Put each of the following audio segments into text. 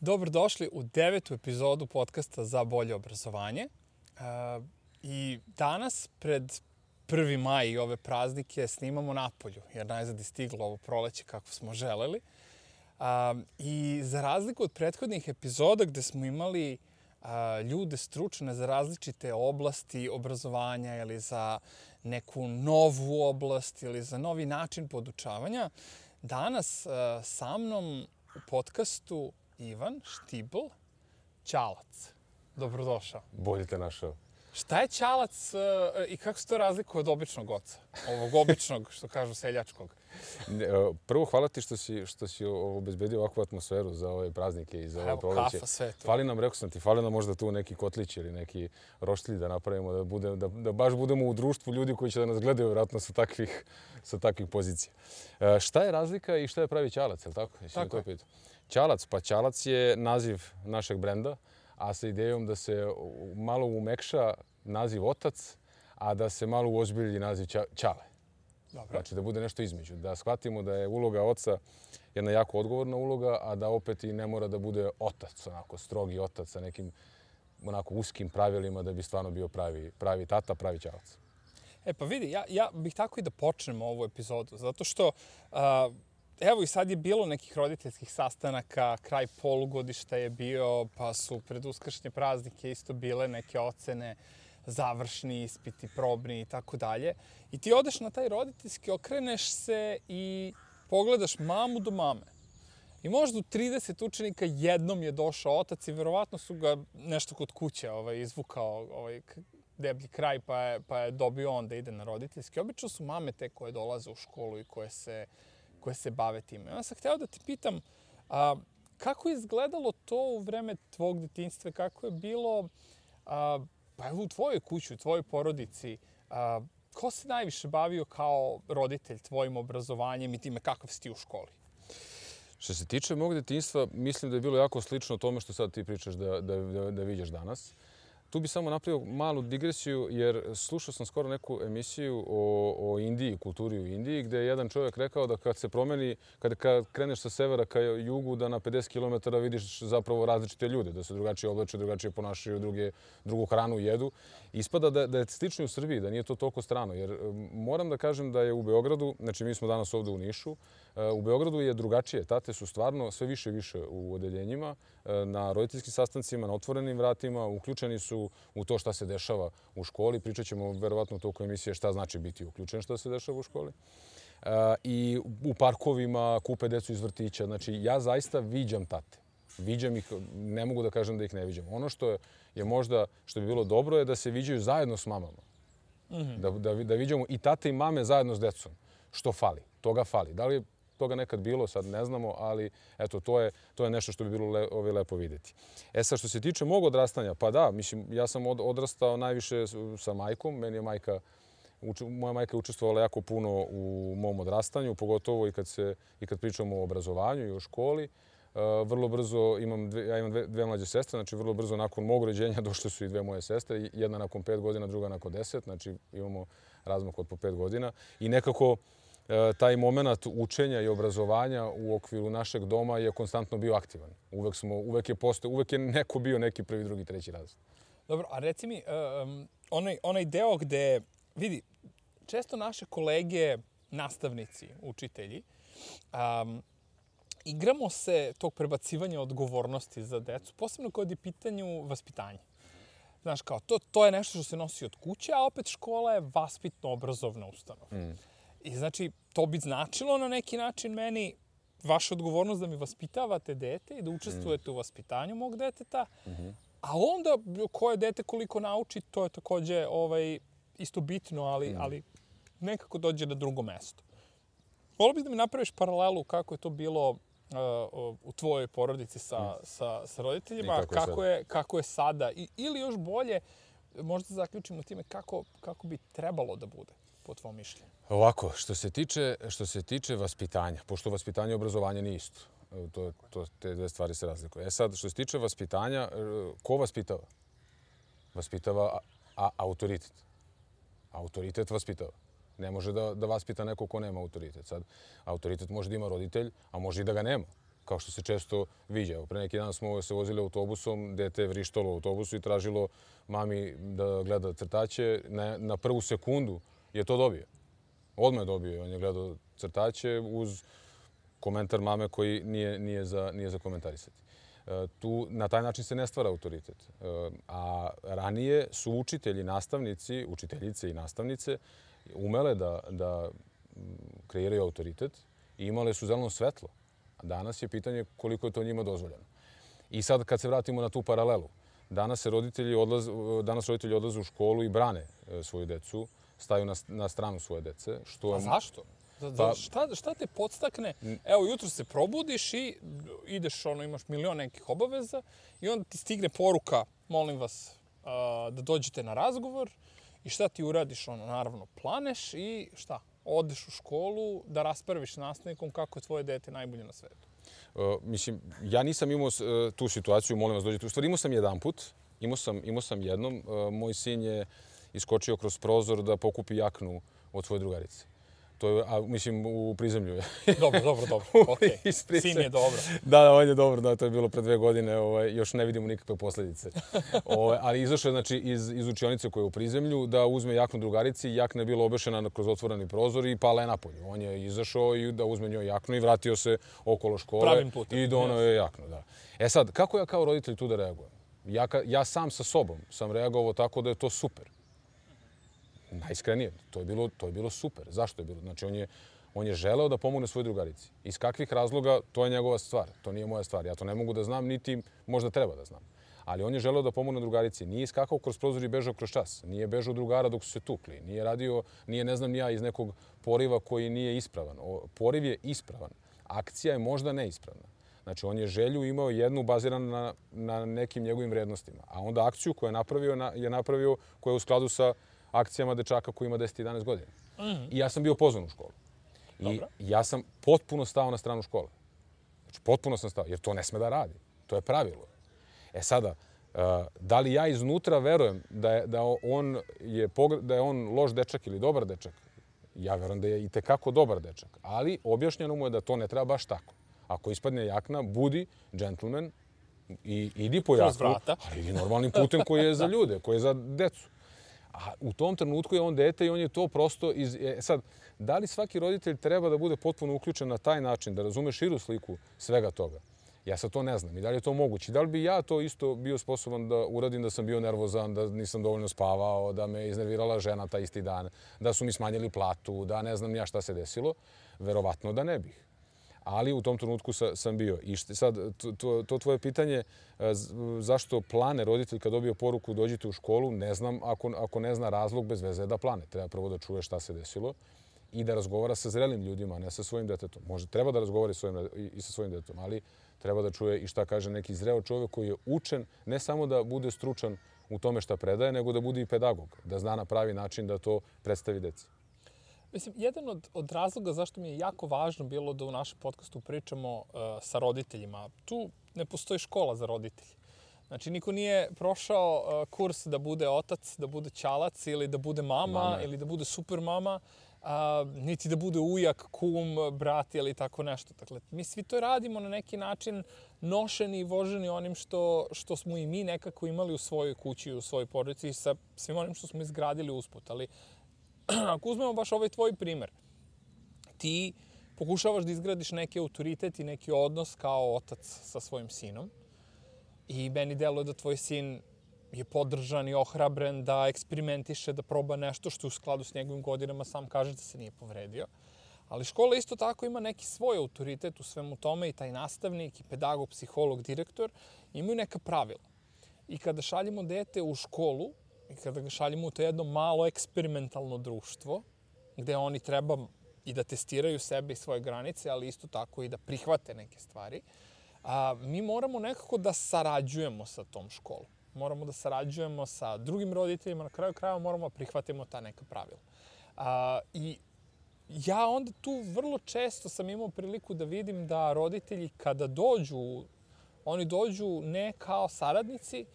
Dobrodošli u 9. epizodu podcasta Za bolje obrazovanje. I danas, pred 1. maj i ove praznike, snimamo napolju, jer najzad je stiglo ovo proleće kako smo želeli. I za razliku od prethodnih epizoda gde smo imali ljude stručne za različite oblasti obrazovanja ili za neku novu oblast ili za novi način podučavanja, danas sa mnom u podcastu Ivan Štibl, Ćalac. Dobrodošao. Bolje te našao. Šta je Ćalac i kako se to razlikuje od običnog oca? Ovog običnog, što kažu, seljačkog. Prvo, hvala ti što si obezbedio ovakvu atmosferu za ove praznike i za ove proleće. Evo, kafa, sve to. Fali nam, rekao sam ti, fali nam možda tu neki kotlić ili neki roštilj da napravimo, da baš budemo u društvu ljudi koji će da nas gledaju vjerojatno sa takvih pozicija. Šta je razlika i šta je pravi Ćalac, je li tako? Tako je. Ćalac, pa Ćalac je naziv našeg brenda, a sa idejom da se malo umekša naziv otac, a da se malo uozbilji naziv Ćale. Dobro. Znači da bude nešto između. Da shvatimo da je uloga oca jedna jako odgovorna uloga, a da opet i ne mora da bude otac, onako strogi otac sa nekim onako uskim pravilima da bi stvarno bio pravi tata, pravi Ćalac. Pa vidi, ja bih tako i da počnemo ovu epizodu, zato što evo i sad je bilo nekih roditeljskih sastanaka, kraj polugodišta je bio, pa su pred uskršnje praznike isto bile neke ocene, završni ispiti, probni i tako dalje. I ti odeš na taj roditeljski, okreneš se i pogledaš mamu do mame. I možda u 30 učenika jednom je došao otac i verovatno su ga nešto kod kuće izvukao deblji kraj pa je dobio on da ide na roditeljski. Obično su mame te koje dolaze u školu i koje se bave time. Ja sam hteo da ti pitam kako je izgledalo to u vreme tvog detinjstva, kako je bilo pa evo u tvojoj kući, u tvojoj porodici, ko se najviše bavio kao roditelj tvojim obrazovanjem i time kakav si ti u školi? Što se tiče mog detinjstva, mislim da je bilo jako slično tome što sad ti pričaš da viđaš danas. Tu bi samo napravio malu digresiju, jer slušao sam skoro neku emisiju o Indiji, kulturi u Indiji, gde je jedan čovjek rekao da kad se promeni, kad kreneš sa severa ka jugu, da na 50 km vidiš zapravo različite ljude, da se drugačije oblače, drugačije ponašaju, drugu hranu jedu. Ispada da je slično u Srbiji, da nije to toliko strano, jer moram da kažem da je u Beogradu, znači mi smo danas ovdje u Nišu, u Beogradu je drugačije. Tate su stvarno sve više i više u odeljenjima, na roditeljskim sastancima, na otvorenim vratima, uključeni su u to šta se dešava u školi. Pričat ćemo verovatno u toku emisije šta znači biti uključen šta se dešava u školi. I u parkovima kupe decu iz vrtića. Znači, ja zaista viđam tate. Viđam ih, ne mogu da kažem da ih ne viđam. Ono što je možda, što bi bilo dobro je da se viđaju zajedno s mamama. Da viđamo i tate i mame zajedno s decom. Što fali? Toga fali. Da li je toga nekad bilo, sad ne znamo, ali eto, to je nešto što bi bilo lepo vidjeti. Sad, što se tiče mog odrastanja, pa da, mislim, ja sam odrastao najviše sa majkom. Moja majka je učestvovala jako puno u mom odrastanju, pogotovo i kad pričamo o obrazovanju i o školi. Vrlo brzo ja imam dve mlađe sestre, znači vrlo brzo nakon mog rođenja došle su i dve moje sestre, jedna nakon 5 godina, druga nakon 10, znači imamo razmak od po 5 godina. I nekako taj moment učenja i obrazovanja u okviru našeg doma je konstantno bio aktivan. Uvek je neko bio neki prvi, drugi, treći razred. Dobro, a reci mi, onaj deo gde, vidi, često naše kolege, nastavnici, učitelji, igramo se tog prebacivanja odgovornosti za decu, posebno kad je pitanju vaspitanja. Znaš, kao, to je nešto što se nosi od kuće, a opet škola je vaspitno-obrazovna ustanova. I znači, to bi značilo na neki način meni vaša odgovornost da mi vaspitavate dete i da učestvujete u vaspitanju mog deteta, a onda koje dete koliko nauči, to je takođe isto bitno, ali nekako dođe na drugo mesto. Volio bih da mi napraviš paralelu kako je to bilo u tvojoj porodici sa roditeljima, kako je sada, ili još bolje, možda zaključimo time kako bi trebalo da bude, po tvom mišljenju. Ovako, što se tiče vaspitanja, pošto vaspitanje i obrazovanje nije isto, te dve stvari se razlikuju. Sad, što se tiče vaspitanja, ko vaspitava? Vaspitava autoritet. Autoritet vaspitava. Ne može da vaspita neko ko nema autoritet. Sad, autoritet može da ima roditelj, a može i da ga nema. kao što se često viđa. Pre neki dan smo se vozili autobusom, dete je vrištalo u autobusu i tražilo mami da gleda crtaće. Na prvu sekundu je to dobio. Odmah je dobio. On je gledao crtaće uz komentar mame koji nije za komentarisati. Na taj način se ne stvara autoritet. A ranije su učitelji, nastavnici, učiteljice i nastavnice umele da kreiraju autoritet i imale su zeleno svetlo. Danas je pitanje koliko je to njima dozvoljeno. I sad kad se vratimo na tu paralelu, danas roditelji odlaze u školu i brane svoju decu, staju na stranu svoje dece. A zašto? Šta te podstakne? Evo, jutro se probudiš i ideš, imaš milion nekih obaveza i onda ti stigne poruka, molim vas, da dođete na razgovor i šta ti uradiš? Naravno, planeš i šta? Odeš u školu da raspraviš s nastavnikom kako je tvoje dete najbolje na svetu. Mislim, ja nisam imao tu situaciju, molim vas dođete. U stvari imao sam jedanput, imao sam jednom. Moj sin je iskočio kroz prozor da pokupi jaknu od svoje drugarice. Mislim, u prizemlju je. Dobro. Okay. Sin je dobro. Da, on je dobro. To je bilo pre 2 godine. Još ne vidimo nikakve posljedice. Ali izašao je znači, iz učionice koja je u prizemlju da uzme jaknu drugarici. Jakna je bila obešena kroz otvoreni prozor i pala je napolju. On je izašao i da uzme njoj jaknu i vratio se okolo škole. Pravim putem. I donao je jaknu. Da. Sad, kako ja kao roditelj tu da reagujem? Ja sam sa sobom sam reagovao tako da je to super. Najiskrenije, to je bilo super. Zašto je bilo? Znači, on je želeo da pomogne svojoj drugarici. Iz kakvih razloga, to je njegova stvar. To nije moja stvar. Ja to ne mogu da znam, niti možda treba da znam. Ali on je želeo da pomogne drugarici. Nije iskakao kroz prozor i bežao kroz čas. Nije bežao drugara dok su se tukli. Nije ne znam ni ja, iz nekog poriva koji nije ispravan. Poriv je ispravan. Akcija je možda neispravna. Znači, on je želju imao jednu baziranu na nekim njegovim vrednostima. A onda akciju koju je napravio koja je u skladu sa akcijama dečaka koji ima 10-11 godina. I ja sam bio pozvan u školu. I ja sam potpuno stao na stranu škole. Znači, potpuno sam stao, jer to ne sme da radi. To je pravilo. Sada, da li ja iznutra verujem da je on loš dečak ili dobar dečak? Ja verujem da je itekako dobar dečak. Ali objašnjeno mu je da to ne treba baš tako. Ako ispadne jakna, budi džentlmen i idi po jaknu, ali idi normalnim putem koji je za ljude, koji je za decu. A u tom trenutku je on dete i on je to prosto... Sad, da li svaki roditelj treba da bude potpuno uključen na taj način, da razume širu sliku svega toga? Ja sad to ne znam. I da li je to moguće? Da li bi ja to isto bio sposoban da uradim, da sam bio nervozan, da nisam dovoljno spavao, da me iznervirala žena taj isti dan, da su mi smanjili platu, da ne znam ni ja šta se desilo? Verovatno da ne bih. Ali u tom trenutku sam bio. I sad, to tvoje pitanje, zašto plane roditelj kad dobije poruku dođite u školu, ne znam, ako ne zna razlog, bez veze da plane. Treba prvo da čuje šta se desilo i da razgovara sa zrelim ljudima, a ne sa svojim detetom. Treba da razgovara i sa svojim detetom, ali treba da čuje i šta kaže neki zreo čovjek koji je učen, ne samo da bude stručan u tome šta predaje, nego da bude i pedagog, da zna na pravi način da to predstavi deci. Mislim, jedan od razloga zašto mi je jako važno bilo da u našem podcastu pričamo sa roditeljima. Tu ne postoji škola za roditelje. Znači, niko nije prošao kurs da bude otac, da bude ćalac ili da bude mama ili da bude super mama, niti da bude ujak, kum, brat ili tako nešto. Dakle, mi svi to radimo na neki način nošeni i voženi onim što smo i mi nekako imali u svojoj kući, u svojoj porodici i sa svim onim što smo izgradili usput. Ali ako uzmemo baš ovaj tvoj primer, ti pokušavaš da izgradiš neki autoritet i neki odnos kao otac sa svojim sinom i meni deluje da tvoj sin je podržan i ohrabren da eksperimentiše, da proba nešto što je u skladu s njegovim godinama, sam kaže da se nije povredio. Ali škola isto tako ima neki svoj autoritet u svemu tome i taj nastavnik, i pedagog, psiholog, direktor imaju neka pravila. I kada šaljemo dete u školu, i kada ga šaljemo u to jedno malo eksperimentalno društvo, gde oni treba i da testiraju sebe i svoje granice, ali isto tako i da prihvate neke stvari, mi moramo nekako da sarađujemo sa tom školom. Moramo da sarađujemo sa drugim roditeljima, na kraju krajeva moramo da prihvatimo ta neka pravila. I ja onda tu vrlo često sam imao priliku da vidim da roditelji kada dođu, oni dođu ne kao saradnici,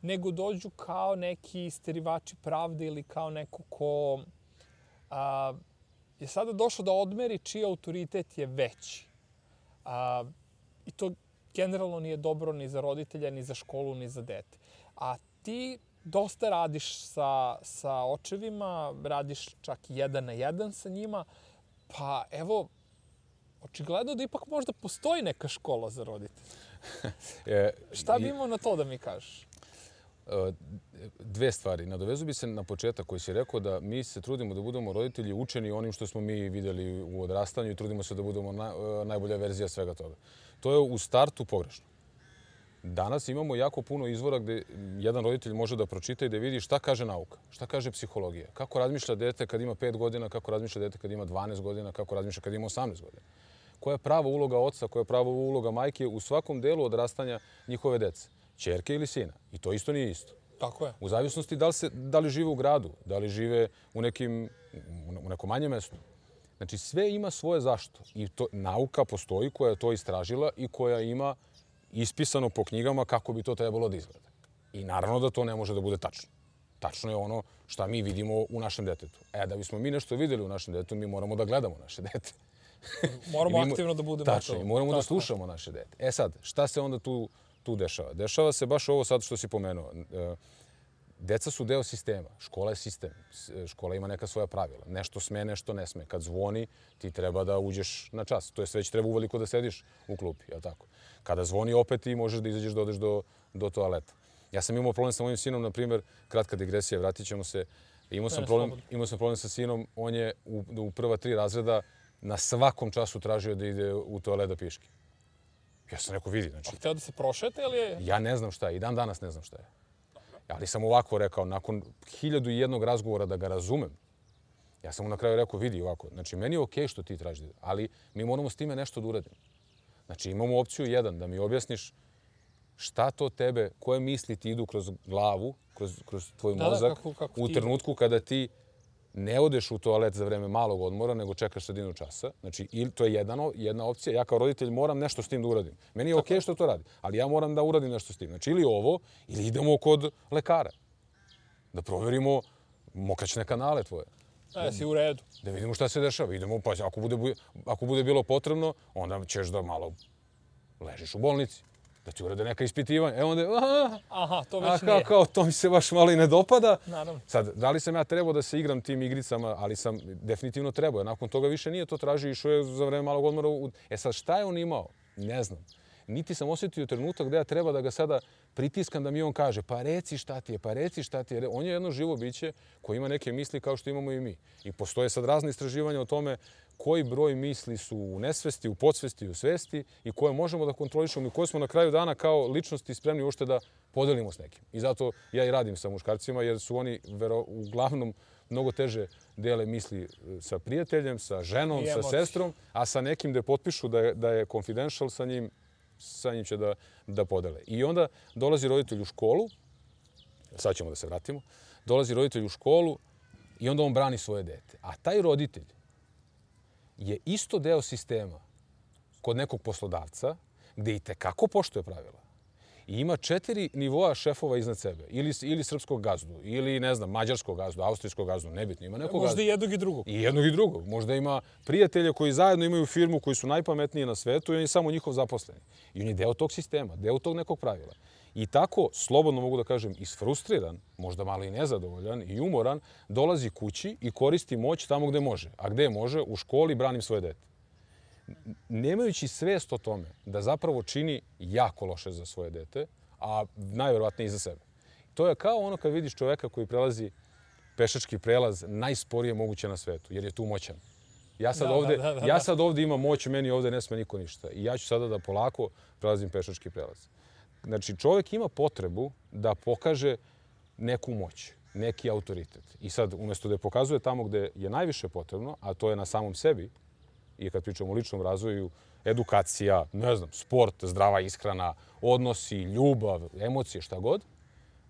nego dođu kao neki isterivači pravde ili kao neko ko je sada došao da odmeri čiji autoritet je veći. i to generalno nije dobro ni za roditelja, ni za školu, ni za dete. A ti dosta radiš sa očevima, radiš čak 1 na 1 sa njima, pa evo, očigledno da ipak možda postoji neka škola za roditelje. Šta bi imao na to da mi kažeš? Dve stvari. Nadovezu bi se na početak koji si rekao da mi se trudimo da budemo roditelji učeni onim što smo mi vidjeli u odrastanju i trudimo se da budemo najbolja verzija svega toga. To je u startu pogrešno. Danas imamo jako puno izvora gde jedan roditelj može da pročita i da vidi šta kaže nauka, šta kaže psihologija, kako razmišlja dete kad ima 5 godina, kako razmišlja dete kad ima 12 godina, kako razmišlja kad ima 18 godina. Koja je prava uloga oca, koja je prava uloga majke u svakom delu odrastanja njihove dece, ćerke ili sina. I to isto nije isto. Tako je. U zavisnosti da li žive u gradu, da li žive u nekom manjem mestu. Znači sve ima svoje zašto. I nauka postoji koja je to istražila i koja ima ispisano po knjigama kako bi to trebalo da izgleda. I naravno da to ne može da bude tačno. Tačno je ono šta mi vidimo u našem detetu. Da bismo mi nešto vidjeli u našem detetu, mi moramo da gledamo naše dete. Moramo aktivno da budemo tačno, to. Moramo da slušamo naše dete. Sad, šta se onda tu dešava? Dešava se baš ovo sad što si pomenuo. Deca su deo sistema. Škola je sistem. Škola ima neka svoja pravila. Nešto sme, nešto ne sme. Kad zvoni, ti treba da uđeš na čas. To jest već treba uveliko da sediš u klupi, jel tako? Kada zvoni opet ti možeš da izađeš da odeš do toaleta. Ja sam imao problem sa mojim sinom, na primjer, kratka digresija, vratit ćemo se. Imao sam problem sa sinom, on je u prva 3 razreda na svakom času tražio da ide u toalet da piški. Ja sam rekao, vidi, znači... A htio da se prošete ili je... Ja ne znam šta je, i dan danas ne znam šta je. Ali sam ovako rekao, nakon 1001 razgovora da ga razumem, ja sam mu na kraju rekao, vidi ovako, znači meni je okej što ti tražiš, ali mi moramo s time nešto da uradimo. Znači imamo opciju 1, da mi objasniš šta to tebe, koje misli ti idu kroz glavu, kroz tvoj mozak, u trenutku kada ti ne odeš u toalet za vreme malog odmora, nego čekaš sredinu časa. Znači, to je jedna opcija. Ja kao roditelj moram nešto s tim da uradim. Meni je okej što to radi, ali ja moram da uradim nešto s tim. Znači, ili ovo, ili idemo kod lekara. Da proverimo mokraćne kanale tvoje. Si u redu. Da vidimo šta se dešava. Idemo, pa ako bude bilo potrebno, onda ćeš da malo ležiš u bolnici. Da ti urade neka ispitivanja. Onda aha, to već nije. To mi se baš malo i ne dopada. Naravno. Sad, da li sam ja trebao da se igram tim igricama, ali sam definitivno trebao. Nakon toga više nije to tražio, išao je za vreme malog odmora. Sad, šta je on imao? Ne znam. Niti sam osjetio trenutak gde ja treba da ga sada pritiskam da mi on kaže pa reci šta ti je. On je jedno živo biće koje ima neke misli kao što imamo i mi. I postoje sad razne istraživanja o tome koji broj misli su u nesvesti, u podsvesti, u svesti i koje možemo da kontrolišemo i koje smo na kraju dana kao ličnosti spremni uopšte da podelimo s nekim. I zato ja i radim sa muškarcima jer su oni uglavnom mnogo teže dele misli sa prijateljem, sa ženom, sa sestrom, a sa nekim da potpišu da je confidential sa njim će da podele. I onda dolazi roditelj u školu, sad ćemo da se vratimo, dolazi roditelj u školu i onda on brani svoje dete. A taj roditelj je isto deo sistema kod nekog poslodavca gde i tekako poštuje pravila. I ima 4 nivoa šefova iznad sebe. Ili srpskog gazdu, ili ne znam, mađarskog gazdu, austrijskog gazdu, nebitno. Ima nekog možda i jednog i drugog. I jednog i drugog. Možda ima prijatelje koji zajedno imaju firmu koji su najpametniji na svetu i on je samo njihov zaposleni. I on je deo tog sistema, deo tog nekog pravila. I tako, slobodno mogu da kažem, isfrustriran, možda malo i nezadovoljan i umoran, dolazi kući i koristi moć tamo gde može. A gde može? U školi branim svoje dete. Nemajući svest o tome da zapravo čini jako loše za svoje dete, a najverovatnije i za sebe. To je kao ono kad vidiš čoveka koji prelazi pešački prelaz najsporije moguće na svetu, jer je tu moćan. Ja sad ovdje imam moć, meni ovdje ne sme niko ništa. I ja ću sada da polako prelazim pešački prelaz. Znači, čovjek ima potrebu da pokaže neku moć, neki autoritet. I sad, umjesto da je pokazuje tamo gde je najviše potrebno, a to je na samom sebi, i kad pričamo o ličnom razvoju, edukacija, ne znam, sport, zdrava ishrana, odnosi, ljubav, emocije, šta god,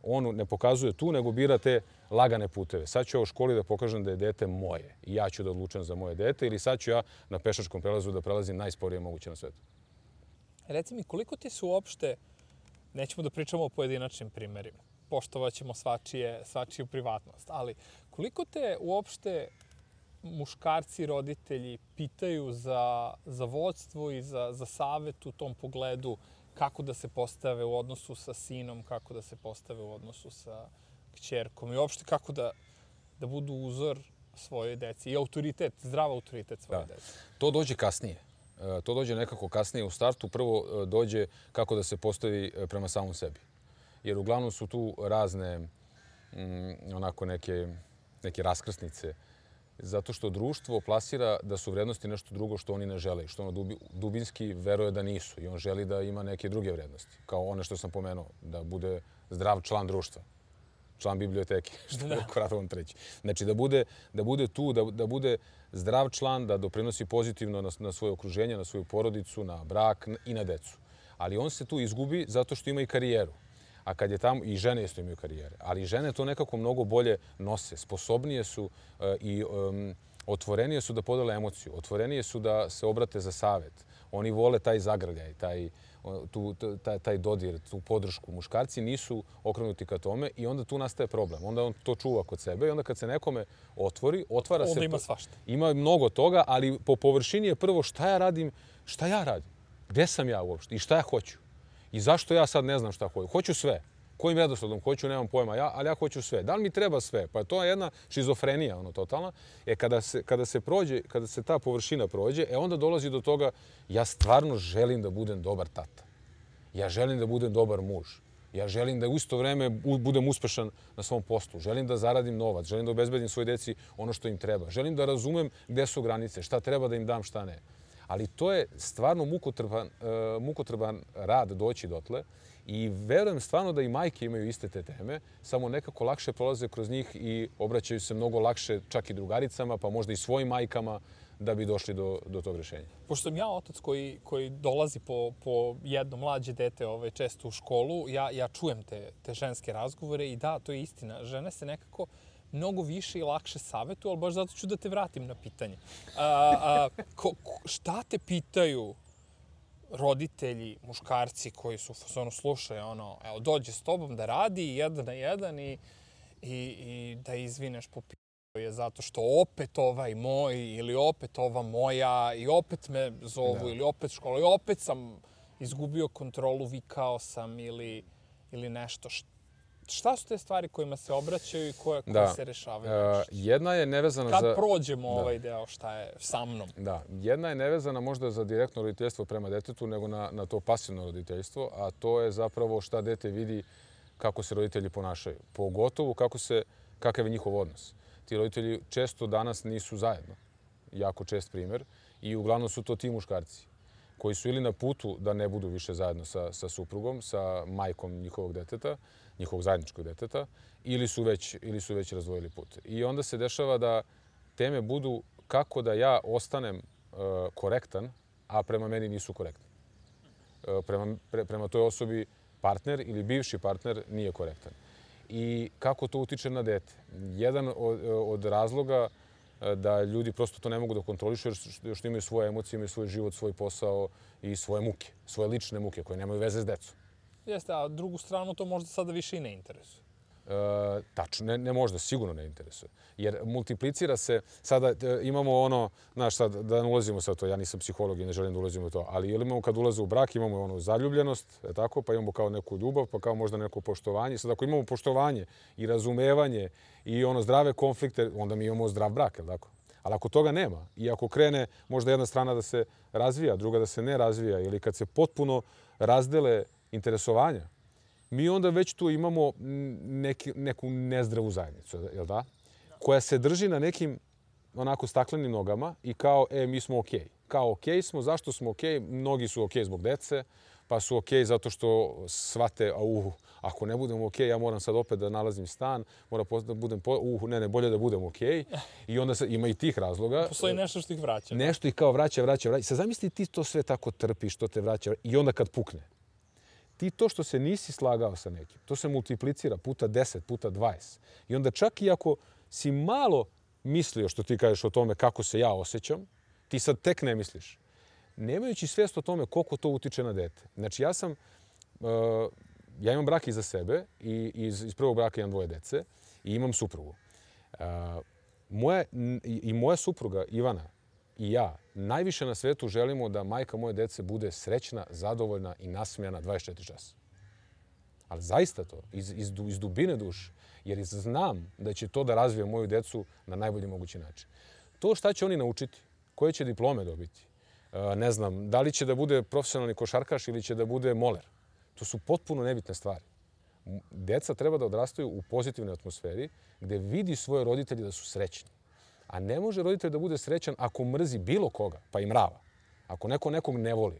on ne pokazuje tu, nego bira te lagane puteve. Sad ću ja u školi da pokažem da je dete moje i ja ću da odlučujem za moje dete ili sad ću ja na pešačkom prelazu da prelazim najsporije moguće na svetu. Reci mi, koliko ti su uopšte, nećemo da pričamo o pojedinačnim primjerima, poštovat ćemo svačiju privatnost, ali koliko te uopšte muškarci roditelji pitaju za vodstvo i za savet u tom pogledu, kako da se postave u odnosu sa sinom, kako da se postave u odnosu sa kćerkom i uopšte kako da budu uzor svojoj deci i autoritet, zdrav autoritet svoje deci. To dođe kasnije. To dođe nekako kasnije u startu. Prvo dođe kako da se postavi prema samom sebi. Jer uglavnom su tu razne onako neke raskrsnice. Zato što društvo plasira da su vrednosti nešto drugo što oni ne žele. Što ono dubinski veruje da nisu. I on želi da ima neke druge vrednosti. Kao one što sam pomenuo. Da bude zdrav član društva. Član biblioteke, što je Radovan III. Znači da bude tu, da bude zdrav član, da doprinosi pozitivno na svoje okruženje, na svoju porodicu, na brak i na decu. Ali on se tu izgubi zato što ima i karijeru. A kad je tamo, i žene isto imaju karijere, ali žene to nekako mnogo bolje nose. Sposobnije su i otvorenije su da podele emociju, otvorenije su da se obrate za savet. Oni vole taj zagrljaj, taj dodir, tu podršku. Muškarci nisu okrenuti ka tome i onda tu nastaje problem. Onda on to čuva kod sebe i onda kad se nekome otvara se... Onda ima svašta. Ima mnogo toga, ali po površini je prvo šta ja radim, gde sam ja uopšte i šta ja hoću. I zašto ja sad ne znam šta hoću. Hoću sve. Kojim redosledom hoću, nemam pojma ja, ali ja hoću sve. Da li mi treba sve? Pa to je jedna šizofrenija, totalna. Kada se ta površina prođe, onda dolazi do toga, ja stvarno želim da budem dobar tata. Ja želim da budem dobar muž. Ja želim da u isto vreme budem uspešan na svom poslu. Želim da zaradim novac. Želim da obezbedim svoj deci ono što im treba. Želim da razumem gde su granice, šta treba da im dam, šta ne. Ali to je stvarno mukotrpan rad doći dotle. I verujem stvarno da i majke imaju iste te teme, samo nekako lakše prolaze kroz njih i obraćaju se mnogo lakše čak i drugaricama, pa možda i svojim majkama da bi došli do tog rješenja. Pošto sam ja otac koji dolazi po jedno mlađe dete često u školu, ja čujem te ženske razgovore i da, to je istina. Žene se nekako mnogo više i lakše savjetuju, ali baš zato ću da te vratim na pitanje. Šta te pitaju roditelji, muškarci koji su slušaju evo, dođe s tobom da radi jedan na jedan i da izvineš po je zato što opet ovaj moj ili opet ova moja i opet me zovu ili opet škola i opet sam izgubio kontrolu, vikao sam ili nešto. Šta su te stvari kojima se obraćaju i koje se rešavaju? Jedna je nevezana za... Kad prođemo ovaj deo šta je sa mnom? Da, jedna je nevezana možda za direktno roditeljstvo prema detetu, nego na to pasivno roditeljstvo, a to je zapravo šta dete vidi kako se roditelji ponašaju. Pogotovo kakav je njihov odnos. Ti roditelji često danas nisu zajedno. Jako čest primjer. I uglavnom su to ti muškarci koji su ili na putu da ne budu više zajedno sa suprugom, sa majkom njihovog deteta, njihovog zajedničkog deteta, ili su već razdvojili put. I onda se dešava da teme budu kako da ja ostanem korektan, a prema meni nisu korektni. Prema toj osobi partner ili bivši partner nije korektan. I kako to utiče na dete. Jedan od razloga da ljudi prosto to ne mogu da kontrolišu jer što imaju svoje emocije, imaju svoj život, svoj posao i svoje muke, svoje lične muke koje nemaju veze s decom. Jeste, a drugu stranu to možda sada više i ne interesuje. Tačno, ne možda, sigurno ne interesuje. Jer multiplicira se, sada imamo znaš sad, da ne ulazimo sad to, ja nisam psiholog i ne želim da ulazimo u to, ali imamo kad ulaze u brak, imamo zaljubljenost, tako, pa imamo kao neku ljubav, pa kao možda neko poštovanje. Sad ako imamo poštovanje i razumevanje i zdrave konflikte, onda mi imamo zdrav brak, je li tako? Ali ako toga nema i ako krene možda jedna strana da se razvija, druga da se ne razvija ili kad se potpuno razdele interesovanja, mi onda već tu imamo neku nezdravu zajednicu, jel da? Koja se drži na nekim onako staklenim nogama i kao, mi smo okej. Kao okej smo, zašto smo okej? Mnogi su okej zbog dece, pa su okej zato što shvate, ako ne budemo okej, ja moram sad opet da nalazim stan, moram da budem, bolje da budem okej. I onda ima i tih razloga. Postoji nešto što ih vraća. Nešto ih kao vraća. Sad zamisli ti to sve tako trpiš, što te vraća i onda kad pukne. Ti to što se nisi slagao sa nekim, to se multiplicira puta 10, puta 20. I onda čak i ako si malo mislio što ti kažeš o tome kako se ja osjećam, ti sad tek ne misliš. Nemajući svijest o tome koliko to utiče na dete. Znači ja imam brak iza sebe i iz prvog braka imam 2 dece i imam suprugu. moja supruga Ivana i ja najviše na svetu želimo da majka moje dece bude srećna, zadovoljna i nasmijana 24 časa. Ali zaista to, iz dubine duše. Jer znam da će to da razvije moju decu na najbolji mogući način. To šta će oni naučiti, koje će diplome dobiti, ne znam, da li će da bude profesionalni košarkaš ili će da bude moler. To su potpuno nebitne stvari. Deca treba da odrastaju u pozitivnoj atmosferi gde vidi svoje roditelje da su srećni. A ne može roditelj da bude srećan ako mrzi bilo koga, pa i mrava. Ako neko nekog ne voli,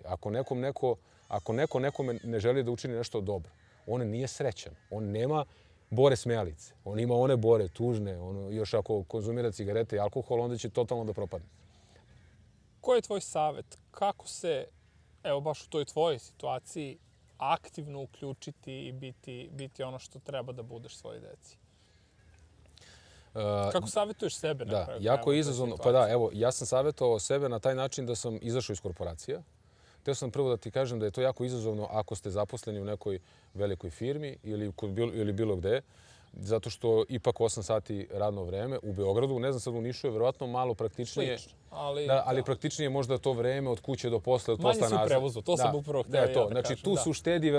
ako neko nekome ne želi da učini nešto dobro. On nije srećan. On nema bore smejalice. On ima one bore tužne. Još ako konzumira cigarete i alkohol, onda će totalno da propadne. Koji je tvoj savjet? Kako se, evo baš u toj tvojoj situaciji, aktivno uključiti i biti ono što treba da budeš svojoj deci? Kako savjetuješ sebe na kraju? Da, jako je izazovno. Pa da, evo, ja sam savjetovao sebe na taj način da sam izašao iz korporacija. Htio sam prvo da ti kažem da je to jako izazovno ako ste zaposleni u nekoj velikoj firmi ili bilo gde. Zato što ipak 8 sati radno vreme u Beogradu, ne znam sad u Nišu je verovatno malo praktičnije. Slično, ali... ali praktičnije je možda to vreme od kuće do posle, od posla nazad. Manje si u prevozu, to sam upravo htio da kažem. Znači tu se uštedi,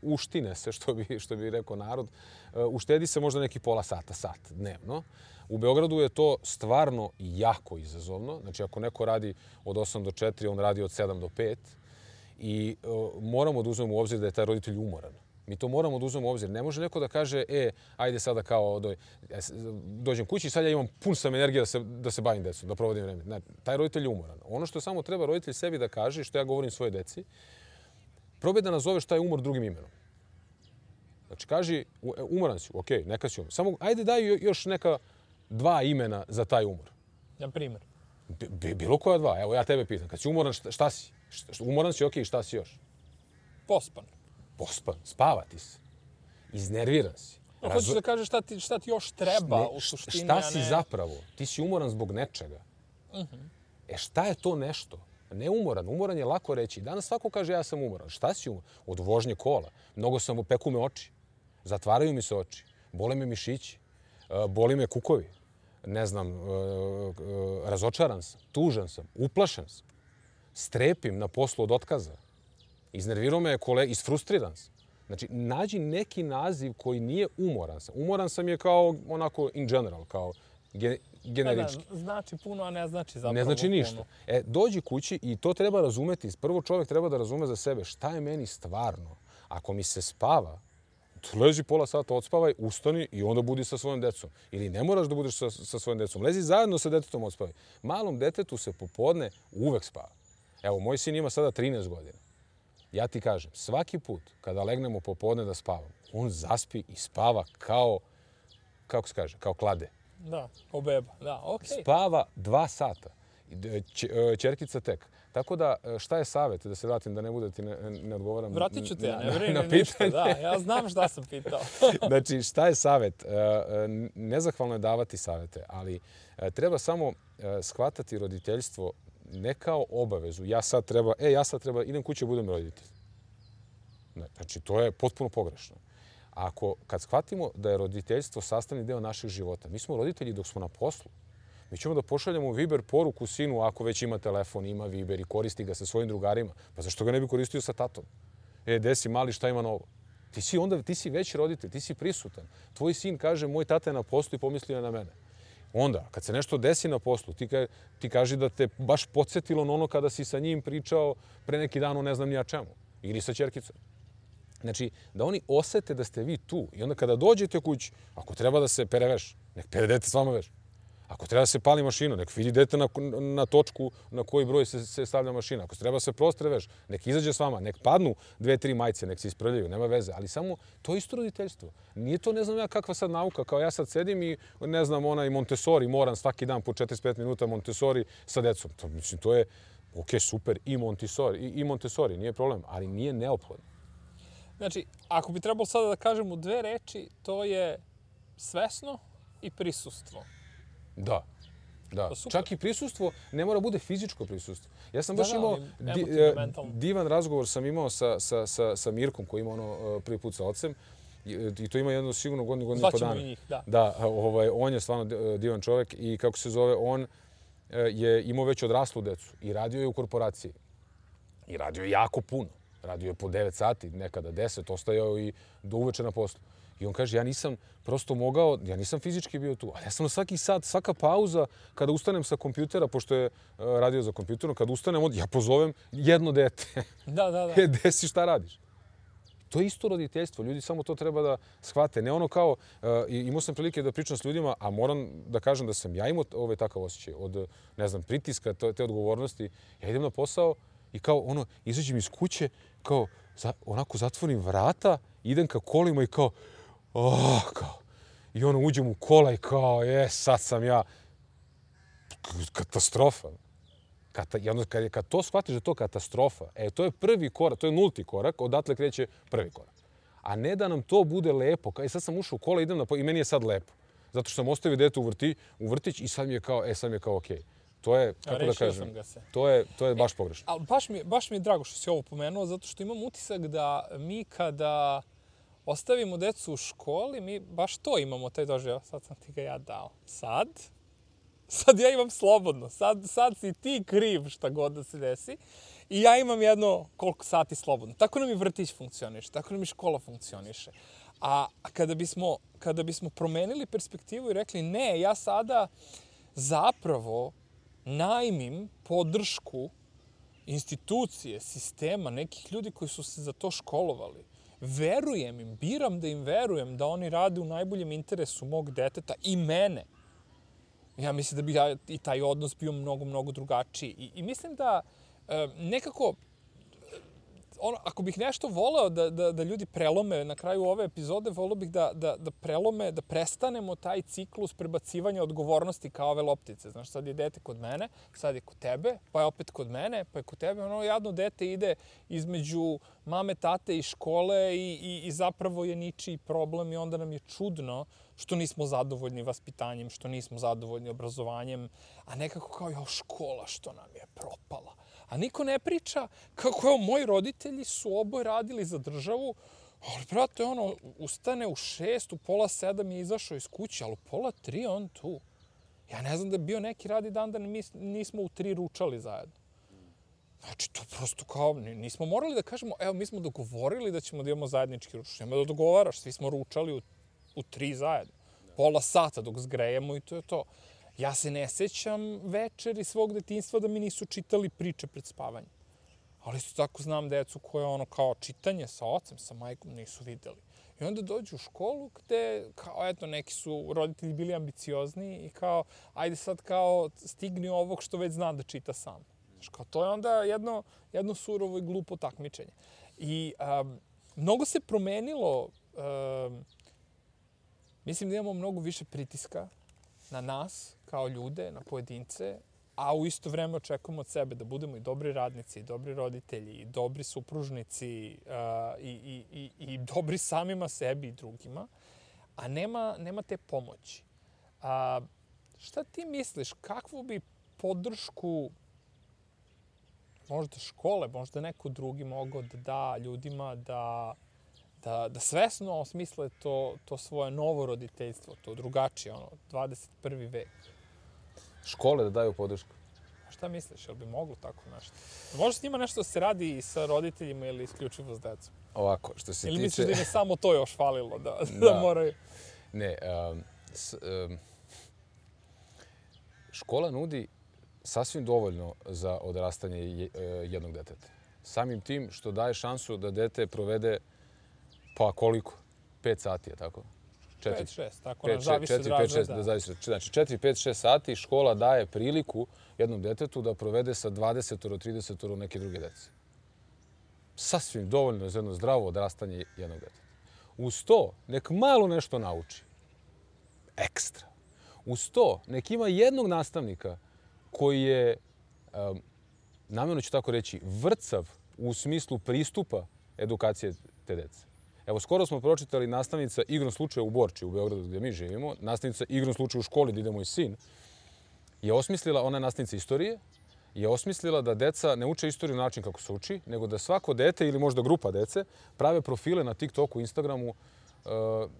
uštine se, što bi rekao narod. Uštedi se možda neki pola sata, sat dnevno. U Beogradu je to stvarno jako izazovno. Znači ako neko radi od 8 do 4, on radi od 7 do 5. I moramo da uzmemo u obzir da je taj roditelj umoran. Mi to moramo da uzmemo u obzir. Ne može neko da kaže, ajde sada kao dođem kući i sad ja imam pun sam energije da se bavim decom, da provodim vreme. Ne, taj roditelj je umoran. Ono što samo treba roditelj sebi da kaže, što ja govorim svoje deci, probaj da nazoveš taj umor drugim imenom. Znači, kaži, umoran si, okej, neka si umor. Samo, ajde daj još neka 2 imena za taj umor. Na primjer? Bilo koja 2. Evo, ja tebe pitam. Kad si umoran, šta si? Umoran si, okej, šta si još? Pospan. Pospan, spavati se. Iznerviran si. Hoćeš da kažeš šta ti još treba u suštini, šta si zapravo? Ti si umoran zbog nečega. Šta je to nešto? Ne umoran. Umoran je lako reći. Danas svako kaže ja sam umoran. Šta si umoran? Od vožnje kola. Mnogo peku me oči. Zatvaraju mi se oči. Bole me mišići. Boli me kukovi. Ne znam, razočaran sam. Tužan sam. Uplašen sam. Strepim na poslu od otkaza. Iznervirao me kolega, isfrustriran sam. Znači, nađi neki naziv koji nije umoran sam. Umoran sam je kao onako in general, kao generički. Znači puno, a ne znači zapravo puno. Ne znači ništa. Dođi kući i to treba razumeti. Prvo čovjek treba da razume za sebe šta je meni stvarno. Ako mi se spava, lezi pola sata, odspavaj, ustani i onda budi sa svojom decom. Ili ne moraš da budeš sa svojom decom. Lezi zajedno sa detetom, odspavaj. Malom detetu se popodne uvek spava. Evo, moj sin ima sada 13 godina. Ja ti kažem, svaki put kada legnemo popodne da spavamo, on zaspi i spava kao, kako se kaže, kao klade. Da, kao beba, da, okej. Spava 2 sata. Ćerkica tek. Tako da, šta je savjet? Da se vratim, da ne bude ti ne odgovaram Vratit ću te, ja ne vrem ništa, da. Ja znam šta sam pitao. Znači, šta je savjet? Nezahvalno je davati savjete, ali treba samo shvatati roditeljstvo ne kao obavezu. Ja sad treba, idem kući, budem roditelj. Znači, to je potpuno pogrešno. Kad shvatimo da je roditeljstvo sastavni deo našeg života, mi smo roditelji dok smo na poslu. Mi ćemo da pošaljemo Viber poruku sinu ako već ima telefon, ima Viber i koristi ga sa svojim drugarima. Pa zašto ga ne bi koristio sa tatom? Gde si mali, šta ima novo? Ti si već roditelj, ti si prisutan. Tvoj sin kaže, moj tata je na poslu i pomislio na mene. Onda, kad se nešto desi na poslu, ti kaži da te baš podsjetilo na ono kada si sa njim pričao pre neki dan o ne znam nija čemu. Ili sa ćerkicom. Znači, da oni osete da ste vi tu. I onda kada dođete kući, ako treba da se pere veš, nek pere dete s vama veš. Ako treba da se pali mašina, nek vidi dete na točku na koji broj se stavlja mašina. Ako treba da se prostre veš, nek izađe s vama, nek padnu 2-3 majice, nek se isprljaju, nema veze. Ali samo, to je isto roditeljstvo. Nije to ne znam ja kakva sad nauka, kao ja sad sedim i ne znam onaj Montessori, moram svaki dan po 45 minuta Montessori sa decom. Mislim, to je, super, i Montessori, nije problem, ali nije neophodno. Znači, ako bi trebalo sada da kažem u 2 reči, to je svesno i prisustvo. Da. Čak i prisustvo ne mora bude fizičko prisustvo. Ja sam baš imao divan razgovor sam imao sa Mirkom koji ima prvi put sa ocem i to ima jedno sigurno godinu i po dana. Zvaćemo i njih, da. Da, on je stvarno divan čovjek i kako se zove, on je imao već odraslu decu i radio je u korporaciji. I radio je jako puno. Radio je po 9 sati, nekada 10, ostajao i do uveče na poslu. I on kaže, ja nisam prosto mogao, ja nisam fizički bio tu, ali ja sam na svaki sat, svaka pauza, kada ustanem sa kompjutera, pošto je radio za kompjuterom, kada ustanem, ja pozovem jedno dete. Da. Gde si, šta radiš? To je isto roditeljstvo. Ljudi samo to treba da shvate. Ne ono kao, imao sam prilike da pričam s ljudima, a moram da kažem da sam ja imao takav osjećaj od, ne znam, pritiska, te odgovornosti. Ja idem na posao i kao, izađem iz kuće, kao, onako zatvorim vrata, idem ka kolima i kao, i uđem u kola i kao, sad sam ja, katastrofa. Kad to shvatiš da je to katastrofa, to je prvi korak, to je nulti korak, odatle kreće prvi korak. A ne da nam to bude lepo. Sad sam ušao u kola, idem i meni je sad lepo. Zato što sam ostavio dete u vrtić i sad mi je kao okej. To je, kako da kažem, to je baš pogrešno. Ali baš mi je drago što si ovo pomenuo, zato što imam utisak da mi kada ostavimo decu u školi, mi baš to imamo, taj doživljaj. Sad sam ti ga ja dao. Sad ja imam slobodno. Sad si ti kriv šta god da se desi. I ja imam jedno koliko sati slobodno. Tako nam i vrtić funkcioniše, tako nam i škola funkcioniše. A kada bismo promenili perspektivu i rekli ne, ja sada zapravo najmim podršku institucije, sistema, nekih ljudi koji su se za to školovali. Verujem im, biram da im verujem da oni rade u najboljem interesu mog deteta i mene. Ja mislim da bi i taj odnos bio mnogo drugačiji. I mislim da nekako, ako bih nešto voleo da ljudi prelome na kraju ove epizode, voleo bih da prelome, da prestanemo taj ciklus prebacivanja odgovornosti kao ove loptice. Znaš, sad je dete kod mene, sad je kod tebe, pa je opet kod mene, pa je kod tebe. Ono jadno dete ide između mame, tate i škole i zapravo je ničiji problem i onda nam je čudno što nismo zadovoljni vaspitanjem, što nismo zadovoljni obrazovanjem, a nekako kao škola što nam je propala. A niko ne priča kako moji roditelji su oboje radili za državu, ali brate, ustane u 6, u 6:30 je izašao iz kuće, ali u 2:30 on tu. Ja ne znam da je bio neki radni dan da nismo u 3 ručali zajedno. Znači, to prosto kao, nismo morali da kažemo, evo, mi smo dogovorili da ćemo da imamo zajednički ručak. Nema da dogovaraš, svi smo ručali u 3 zajedno. 30 sata dok zgrejemo i to je to. Ja se ne sećam večeri svog detinjstva da mi nisu čitali priče pred spavanjem. Ali isto tako znam decu koje kao čitanje sa ocem, sa majkom nisu videli. I onda dođu u školu gde, kao eto, neki su roditelji bili ambiciozni i kao, ajde sad kao stigni ovog što već zna da čita sam. Znaš, kao to je onda jedno surovo i glupo takmičenje. I mnogo se promenilo, mislim da imamo mnogo više pritiska na nas, kao ljude, na pojedince, a u isto vreme očekujemo od sebe da budemo i dobri radnici, i dobri roditelji, i dobri supružnici, i dobri samima sebi i drugima, a nema te pomoći. Šta ti misliš, kakvu bi podršku možda škole, možda neko drugi mogao da da ljudima da svesno osmisle to svoje novo roditeljstvo, to drugačije, 21. vek. Škole da daju podršku. Šta misliš, jel bi moglo tako nešto? Može s njima nešto da se radi i sa roditeljima ili isključivo s decom? Ovako, što se tiče... Ili misliš da im je samo to još falilo, da moraju... Ne, škola nudi sasvim dovoljno za odrastanje jednog deteta. Samim tim što daje šansu da dete provede, pa koliko? 5 sati, je tako? 5-6, tako nam zavisi od razreda. Znači, 4-5-6 sati škola daje priliku jednom detetu da provede sa 20-30 neke druge dece. Sasvim dovoljno za jedno zdravo odrastanje jednog deteta. Uz to, nek malo nešto nauči. Ekstra. Uz to, nek ima jednog nastavnika koji je, namjerno ću tako reći, vrcav u smislu pristupa edukacije te dece. Evo, skoro smo pročitali nastavnica igrom slučaja u Borči, u Beogradu gdje mi živimo. Nastavnica igrom slučaja u školi gdje ide moj sin. Je osmislila, ona je nastavnica istorije, je osmislila da deca ne uče istoriju na način kako se uči, nego da svako dete ili možda grupa dece prave profile na TikToku, Instagramu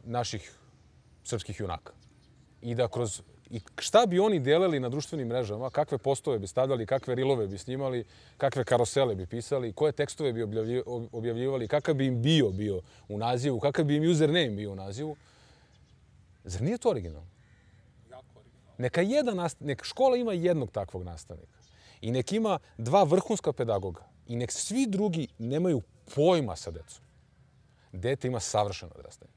naših srpskih junaka. I da kroz... I šta bi oni delili na društvenim mrežama, kakve postove bi stavljali, kakve rilove bi snimali, kakve karosele bi pisali, koje tekstove bi objavljivali, kakav bi im bio u nazivu, kakav bi im username bio u nazivu. Zar nije to originalno? Neka škola ima jednog takvog nastavnika i nek ima 2 vrhunska pedagoga i nek svi drugi nemaju pojma sa decom. Dete ima savršeno odrastanje.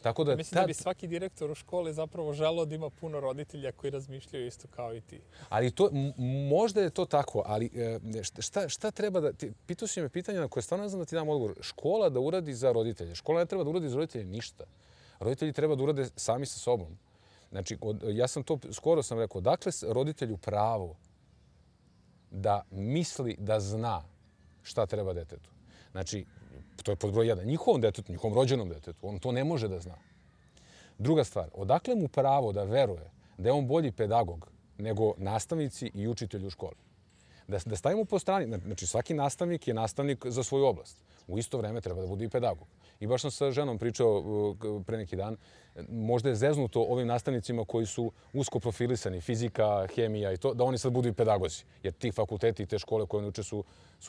Tako da mislim da bi svaki direktor u školi zapravo želeo da ima puno roditelja koji razmišljaju isto kao i ti. Ali možda je to tako, ali šta treba da... Pitao si me pitanja na koje stvarno ne znam da ti dam odgovor. Škola da uradi za roditelje. Škola ne treba da uradi za roditelje ništa. Roditelji treba da urade sami sa sobom. Znači, ja sam to skoro sam rekao, dakle roditelju pravo da misli da zna šta treba detetu. Znači, to je pod broj 1. Njihovom detetu, njihovom rođenom detetu, on to ne može da zna. Druga stvar, odakle mu pravo da veruje da je on bolji pedagog nego nastavnici i učitelji u školi? Da stavimo po strani, znači svaki nastavnik je nastavnik za svoju oblast. U isto vreme treba da bude i pedagog. I baš sam sa ženom pričao pre neki dan, možda je zeznuto ovim nastavnicima koji su usko profilisani, fizika, hemija i to, da oni sad budu i pedagozi. Jer ti fakulteti i te škole koje oni uče su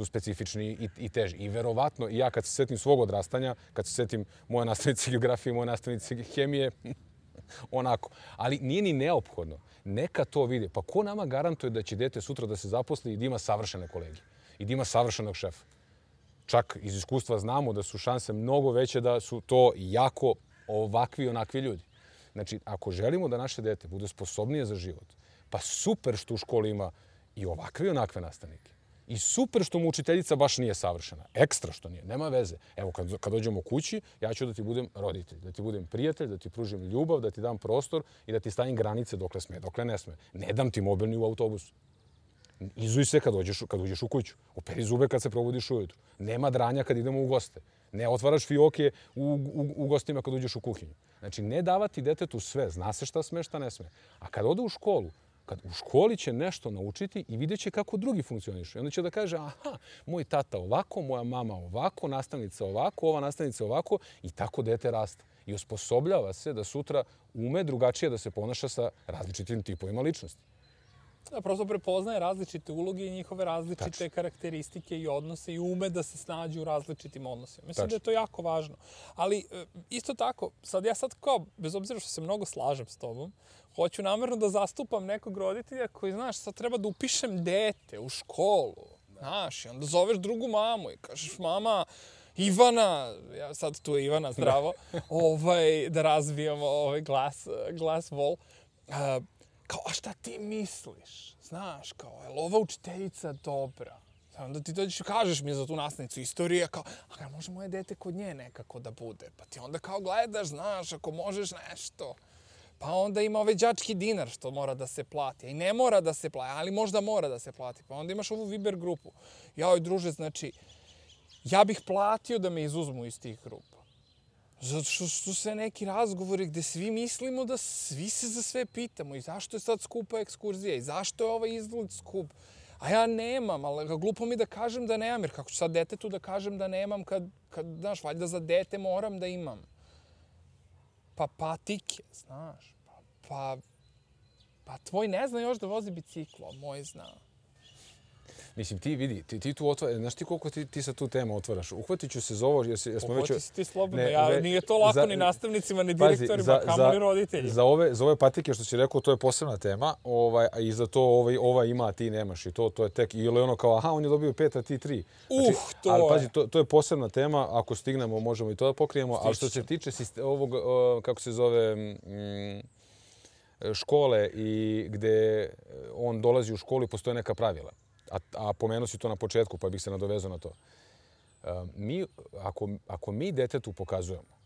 specifični i teži. I verovatno, i ja kad se setim svog odrastanja, kad se setim moje nastavnice geografije, moje nastavnice hemije, onako. Ali nije ni neophodno. Neka to vide. Pa ko nama garantuje da će dete sutra da se zaposli i da ima savršene kolege? I da ima savršenog šefa? Čak iz iskustva znamo da su šanse mnogo veće da su to jako ovakvi i onakvi ljudi. Znači, ako želimo da naše dete bude sposobnije za život, pa super što u školi ima i ovakve i onakve nastavnike. I super što mu učiteljica baš nije savršena. Ekstra što nije. Nema veze. Evo, kad dođemo kući, ja ću da ti budem roditelj, da ti budem prijatelj, da ti pružim ljubav, da ti dam prostor i da ti stavim granice dokle sme, dokle ne sme. Ne dam ti mobilni u autobusu. Izuj se kad uđeš u kuću. Operi zube kad se probudiš ujutru. Nema dranja kad idemo u goste. Ne otvaraš fioke u gostima kad uđeš u kuhinju. Znači, ne davati detetu sve. Zna se šta sme, šta ne sme. A kad ode u školu, u školi će nešto naučiti i vidjet će kako drugi funkcionišu. I onda će da kaže, aha, moj tata ovako, moja mama ovako, nastavnica ovako, ova nastavnica ovako i tako dete raste. I osposobljava se da sutra ume drugačije da se ponaša sa različitim tipovima ličnosti. Da, prosto prepoznaje različite uloge i njihove različite karakteristike i odnose i ume da se snađu u različitim odnosima. Mislim da je to jako važno. Ali isto tako, ja sad kao, bez obzira što se mnogo slažem s tobom, hoću namerno da zastupam nekog roditelja koji, znaš, sad treba da upišem dete u školu. Znaš, i onda zoveš drugu mamu i kažeš, mama, Ivana, ja sad tu je Ivana, zdravo, da razvijamo glas vol. Kao, a šta ti misliš? Znaš, kao, je li ova učiteljica dobra? Onda ti dođeš i kažeš mi za tu nastavnicu istorije, kao, a može moje dete kod nje nekako da bude? Pa ti onda kao gledaš, znaš, ako možeš nešto. Pa onda ima ovaj đački dinar što mora da se plati. I ne mora da se plati, ali možda mora da se plati. Pa onda imaš ovu Viber grupu. Joj, druže, znači, ja bih platio da me izuzmu iz tih grupa. Zato što su sve neki razgovori gde svi mislimo da svi se za sve pitamo i zašto je sad skupa ekskurzija i zašto je ovaj izlet skup. A ja nemam, ali glupo mi da kažem da nemam, jer kako ću sad detetu da kažem da nemam kad znaš, valjda za dete moram da imam. Pa patike, znaš, pa tvoj ne zna još da vozi biciklo, moj zna. Mislim, ti vidi, ti tu otvaraš, znaš ti koliko ti sa tu temu otvaraš? Uhvatit ću se za ovo, jer smo već... Uhvati se ti slobodno, nije to lako ni nastavnicima, ni direktorima, kamo ni roditeljima. Za ove patike što si rekao, to je posebna tema, a i za to ova ima, a ti nemaš i to je tek, ili ono kao, aha, on je dobio 5, a ti 3. To ali, je. pazi, to je posebna tema, ako stignemo, možemo i to da pokrijemo, ali što se tiče ovog, kako se zove, škole i gde on dolazi u školu i postoje neka pravila. A pomenuo si to na početku, pa bih se nadovezao na to. Ako mi detetu pokazujemo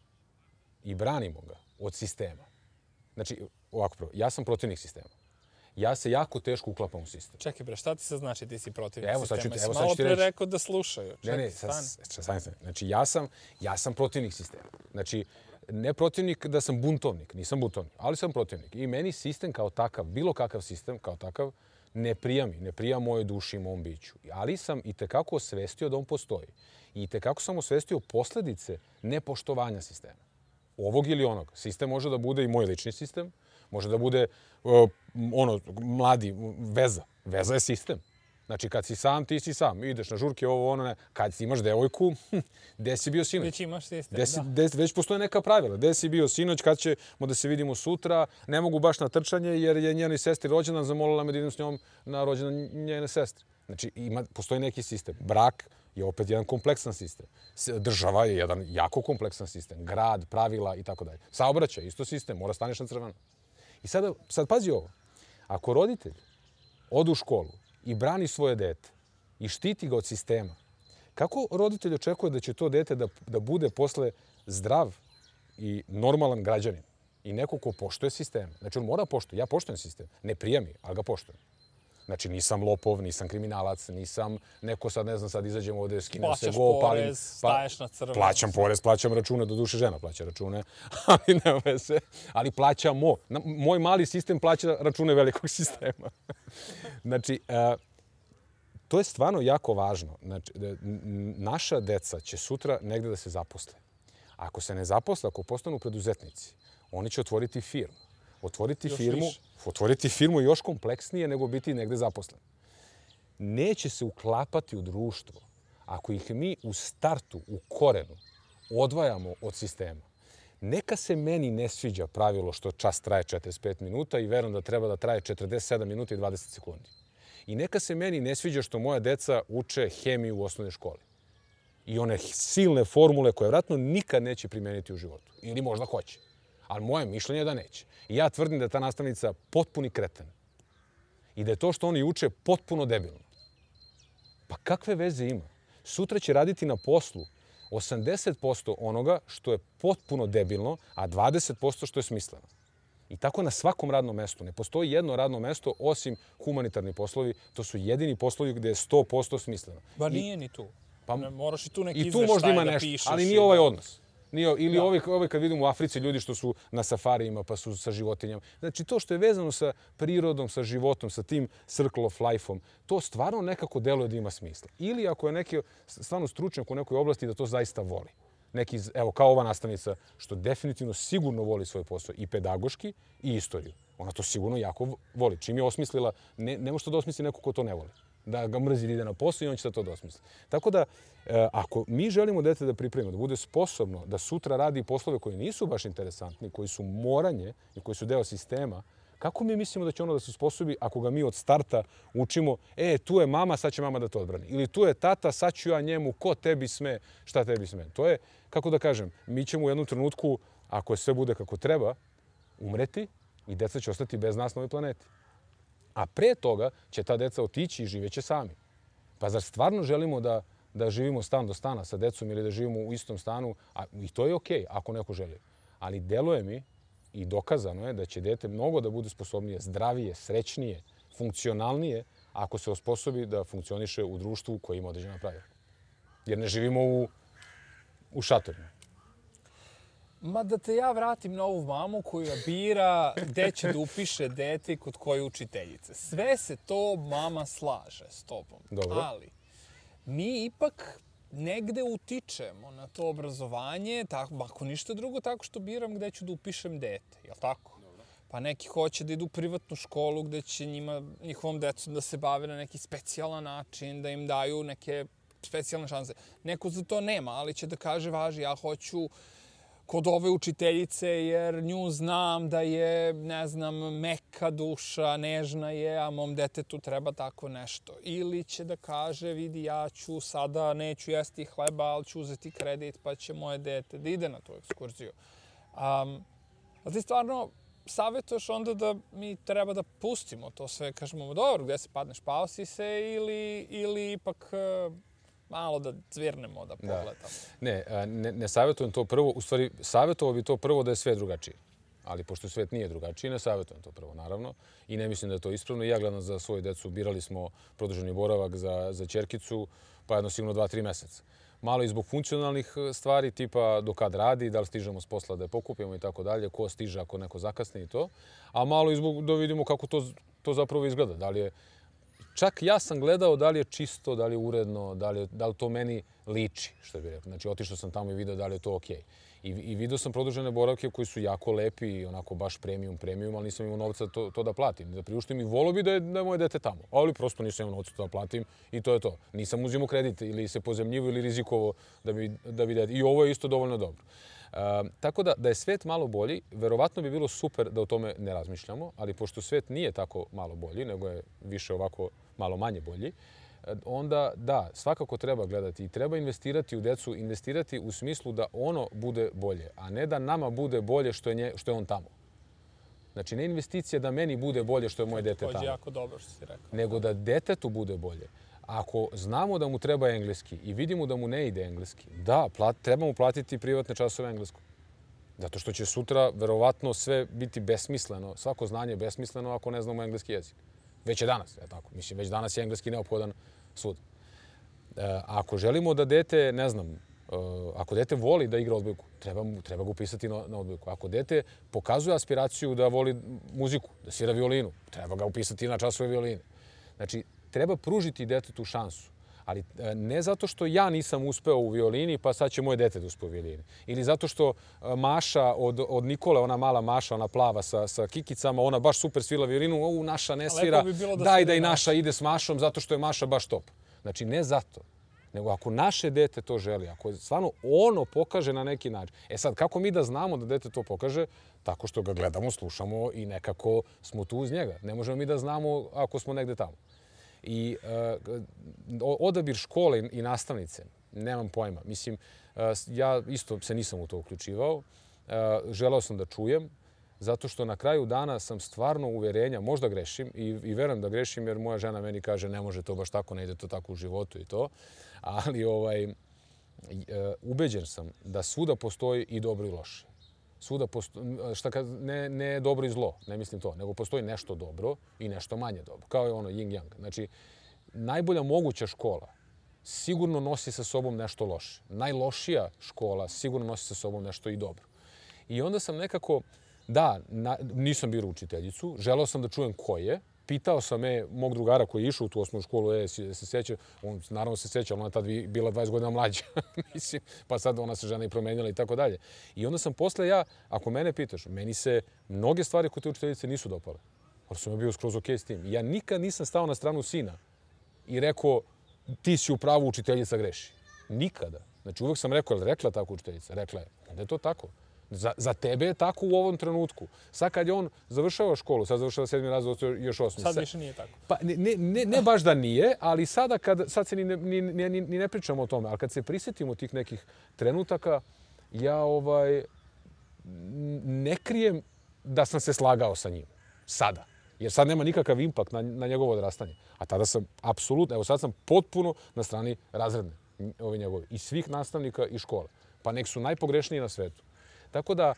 i branimo ga od sistema, znači, ovako prvo, ja sam protivnik sistema. Ja se jako teško uklapam u sistem. Čekaj bre, šta ti se znači ti si protivnik sistema? Evo malo pre rekao da slušaju. Ne, stani. Znači, ja sam protivnik sistema. Znači, ne protivnik da sam buntovnik, nisam buntovnik, ali sam protivnik. I meni sistem kao takav, bilo kakav sistem kao takav, ne prija mojoj duši i mom biću. Ali sam i tekako osvestio da on postoji. I tekako sam osvestio posledice nepoštovanja sistema. ovog ili onog. Sistem može da bude i moj lični sistem, može da bude mladi, veza. Veza je sistem. Znači, kad si sam, ti si sam. Ideš na žurke, ovo, ono, ne. Kad si imaš devojku, gde si bio sinoć? Već imaš sistem, Već postoje neka pravila. Gde si bio sinoć, kad ćemo da se vidimo sutra? Ne mogu baš na trčanje, jer je njenoj sestri rođendan, zamolila me da idem s njom na rođendan njene sestre. Znači, postoji neki sistem. Brak je opet jedan kompleksan sistem. Država je jedan jako kompleksan sistem. Grad, pravila i tako dalje. Saobraćaj, isto sistem, mora staneš na crveno. I sad pazi ovo. Ako roditelj ode u školu i brani svoje dete i štiti ga od sistema, kako roditelj očekuje da će to dete da bude posle zdrav i normalan građanin i neko ko poštuje sistem? Znači, on mora poštuje. Ja poštujem sistem. Ne prija mi, ali ga poštujem. Znači, nisam lopov, nisam kriminalac, nisam neko sad, ne znam, sad izađem ovde, skinem se go, palim. Plaćaš porez, staješ na crveno. Plaćam porez, plaćam račune, doduše žena plaća račune, ali nema veze. Ali plaćamo. Moj mali sistem plaća račune velikog sistema. Znači, to je stvarno jako važno. Znači, naša deca će sutra negde da se zaposle. Ako se ne zaposle, ako postanu preduzetnici, oni će otvoriti firmu. Otvoriti firmu još kompleksnije nego biti negde zaposlen. Neće se uklapati u društvo ako ih mi u startu, u korenu, odvajamo od sistema. Neka se meni ne sviđa pravilo što čas traje 45 minuta i verujem da treba da traje 47 minuta i 20 sekundi. I neka se meni ne sviđa što moja deca uče hemiju u osnovnoj školi. I one silne formule koje vjerojatno nikad neće primeniti u životu. Ili možda hoće. Ali moje mišljenje je da neće. I ja tvrdim da je ta nastavnica potpuni kreten. I da je to što oni uče potpuno debilno. Pa kakve veze ima? Sutra će raditi na poslu 80% onoga što je potpuno debilno, a 20% što je smisleno. I tako na svakom radnom mestu. Ne postoji jedno radno mesto osim humanitarni poslovi. To su jedini poslovi gde je 100% smisleno. Ba nije ni tu. Pa, moraš i tu neki izveštaj da pišeš. I tu možda ima nešto, ali nije ovaj odnos. Ili da. Ove kad vidimo u Africi ljudi što su na safarijima pa su sa životinjama. Znači to što je vezano sa prirodom, sa životom, sa tim circle of life-om, to stvarno nekako deluje da ima smisla. Ili ako je neki stvarno stručnjak u nekoj oblasti da to zaista voli. Neki, evo kao ova nastavnica što definitivno sigurno voli svoj posao i pedagoški i istoriju. Ona to sigurno jako voli. Čim je osmislila, ne može to da osmisli neko ko to ne voli. Da ga mrzi da ide na posao i on će da to dosmisli. Tako da, ako mi želimo dete da pripremimo, da bude sposobno da sutra radi poslove koji nisu baš interesantni, koji su moranje i koji su deo sistema, kako mi mislimo da će ono da se sposobi ako ga mi od starta učimo, tu je mama, sad će mama da to odbrani. Ili tu je tata, sad ću ja njemu, ko tebi sme, šta tebi sme. To je, kako da kažem, mi ćemo u jednom trenutku, ako sve bude kako treba, umreti i deca će ostati bez nas na ovoj planeti. A pre toga će ta deca otići i živeće sami. Pa zar stvarno želimo da živimo stan do stana sa decom ili da živimo u istom stanu? I to je okej, ako neko želi. Ali deluje mi i dokazano je da će dete mnogo da bude sposobnije, zdravije, srećnije, funkcionalnije ako se osposobi da funkcioniše u društvu koje ima određena pravila. Jer ne živimo u šatorima. Ma da te ja vratim na ovu mamu koja bira gde će da upiše dete i kod koje učiteljice. Sve se to mama slaže s tobom. Dobro. Ali mi ipak negde utičemo na to obrazovanje, ako ništa drugo, tako što biram gde ću da upišem dete. Jel' tako? Dobro. Pa neki hoće da idu u privatnu školu gde će njihovom decom da se bave na neki specijalan način, da im daju neke specijalne šanse. Neko za to nema, ali će da kaže, važi, ja hoću kod ove učiteljice, jer nju znam da je, ne znam, meka duša, nežna je, a mom detetu treba tako nešto. Ili će da kaže, vidi, ja ću sada, neću jesti hleba, ali ću uzeti kredit, pa će moje dete da ide na tu ekskurziju. Ali ti stvarno savjetuješ onda da mi treba da pustimo to sve, kažemo, dobro, gde se padneš, pao si se, ili ipak malo da cvirnemo, da pogledamo. Ne savjetujem to prvo. U stvari, savjetovao bi to prvo da je sve drugačije. Ali pošto svet nije drugačiji, ne savjetujem to prvo, naravno. I ne mislim da je to ispravno. Ja gledam za svoju decu, birali smo produženi boravak za ćerkicu, pa jedno sigurno 2-3 meseca. Malo i zbog funkcionalnih stvari, tipa do kad radi, da li stižemo s posla da je pokupimo i tako dalje, ko stiže ako neko zakasni i to. A malo i zbog da vidimo kako to zapravo izgleda. Da li je čak ja sam gledao da li je čisto, da li je uredno, da li to meni liči, što bih rekao. Znači, otišao sam tamo i video da li je to okej. I vidio sam produžene boravke koji su jako lepi i onako baš premium, ali nisam imao novca to da platim. Da priuštim i volio bi da je moje dete tamo. Ali prosto nisam imao novca da platim i to je to. Nisam uzimao kredit ili se pozemljivo ili rizikovao da bi dete. I ovo je isto dovoljno dobro. Tako da je svet malo bolji, verovatno bi bilo super da o tome ne razmišljamo, ali pošto svet nije tako malo bolji, nego je više ovako malo manje bolji, onda da, svakako treba gledati i treba investirati u decu, investirati u smislu da ono bude bolje, a ne da nama bude bolje što je on tamo. Znači, ne investicija da meni bude bolje što je moje dete tamo. To je jako dobro što si rekao. Nego da detetu bude bolje. Ako znamo da mu treba engleski i vidimo da mu ne ide engleski, da, treba mu platiti privatne časove engleskog. Zato što će sutra verovatno sve biti besmisleno, svako znanje je besmisleno ako ne znamo engleski jezik. Već je danas, je tako? Mislim, već danas je engleski neophodan svud. Ako želimo da dete, ne znam, ako dete voli da igra odbojku, treba ga upisati na odbojku. Ako dete pokazuje aspiraciju da voli muziku, da svira violinu, treba ga upisati na časove violine. Znači, treba pružiti detetu šansu. Ali ne zato što ja nisam uspeo u violini, pa sad će moje dete da uspe u violini. Ili zato što Maša od Nikole, ona mala Maša, ona plava sa kikicama, ona baš super svira violinu, naša ne svira, daj da i naša ide s Mašom zato što je Maša baš top. Znači, ne zato. Nego ako naše dete to želi, ako stvarno ono pokaže na neki način. E sad, kako mi da znamo da dete to pokaže? Tako što ga gledamo, slušamo i nekako smo tu uz njega. Ne možemo mi da znamo ako smo negde tamo. I odabir škole i nastavnice, nemam pojma. Mislim, ja isto se nisam u to uključivao. Želeo sam da čujem, zato što na kraju dana sam stvarno uverenja, možda grešim i verujem da grešim jer moja žena meni kaže ne može to baš tako, ne ide to tako u životu i to. Ali ubeđen sam da svuda postoji i dobro i loše. Svuda postoji, ne dobro i zlo, ne mislim to, nego postoji nešto dobro i nešto manje dobro. Kao je ono yin-yang. Znači, najbolja moguća škola sigurno nosi sa sobom nešto loše. Najlošija škola sigurno nosi sa sobom nešto i dobro. I onda sam nekako, nisam birao učiteljicu, želeo sam da čujem ko je. Pitao sam mog drugara koji je išao u tu osnovnu školu, se seća, on naravno se seća, ona je tad bila 20 godina mlađa, mislim, pa sad ona se žena i promenila i tako dalje. I onda sam posle ako mene pitaš, meni se mnoge stvari kod te učiteljice nisu dopale. Ali sam bio skroz okej s tim. Ja nikad nisam stao na stranu sina i rekao, ti si u pravu, učiteljica greši. Nikada. Znači uvek sam rekao, rekla tako učiteljica? Rekla je, onda je to tako. Za tebe je tako u ovom trenutku. Sad kad je on završava školu, sad završava 7. razred, još 8. Sad više nije tako. Pa ne baš da nije, ali sad se ni ne pričamo o tome. Ali kad se prisjetimo tih nekih trenutaka, ja ne krijem da sam se slagao sa njim. Sada. Jer sad nema nikakav impakt na njegovo odrastanje. A tada sam apsolutno, evo sad sam potpuno na strani razredne njegovi. I svih nastavnika i škole. Pa nek su najpogrešniji na svetu. Tako da,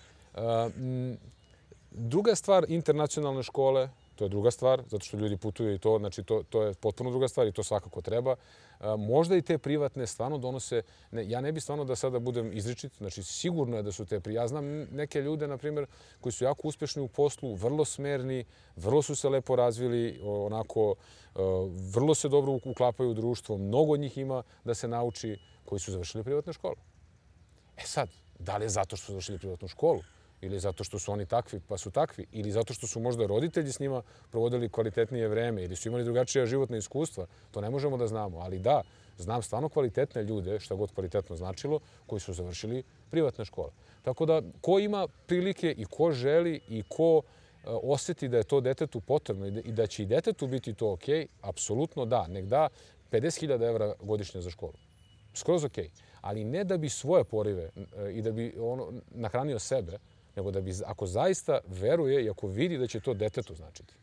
druga stvar, internacionalne škole, to je druga stvar, zato što ljudi putuju i to, znači to je potpuno druga stvar i to svakako treba. Možda i te privatne stvarno donose, ja ne bi stvarno da sada budem izričit, znači sigurno je da su te ja znam neke ljude, na primjer, koji su jako uspješni u poslu, vrlo smerni, vrlo su se lepo razvili, onako, vrlo se dobro uklapaju u društvo, mnogo od njih ima da se nauči koji su završili privatne škole. E sad, da li je zato što su završili privatnu školu ili zato što su oni takvi pa su takvi ili zato što su možda roditelji s njima provodili kvalitetnije vreme ili su imali drugačija životna iskustva, to ne možemo da znamo. Ali da, znam stvarno kvalitetne ljude, šta god kvalitetno značilo, koji su završili privatne škole. Tako da, ko ima prilike i ko želi i ko osjeti da je to detetu potrebno i da će i detetu biti to okej, apsolutno da. Nek da 50.000 evra godišnje za školu. Skroz okej. Ali ne da bi svoje porive i da bi nahranio sebe, nego da bi, ako zaista veruje i ako vidi da će to detetu značiti.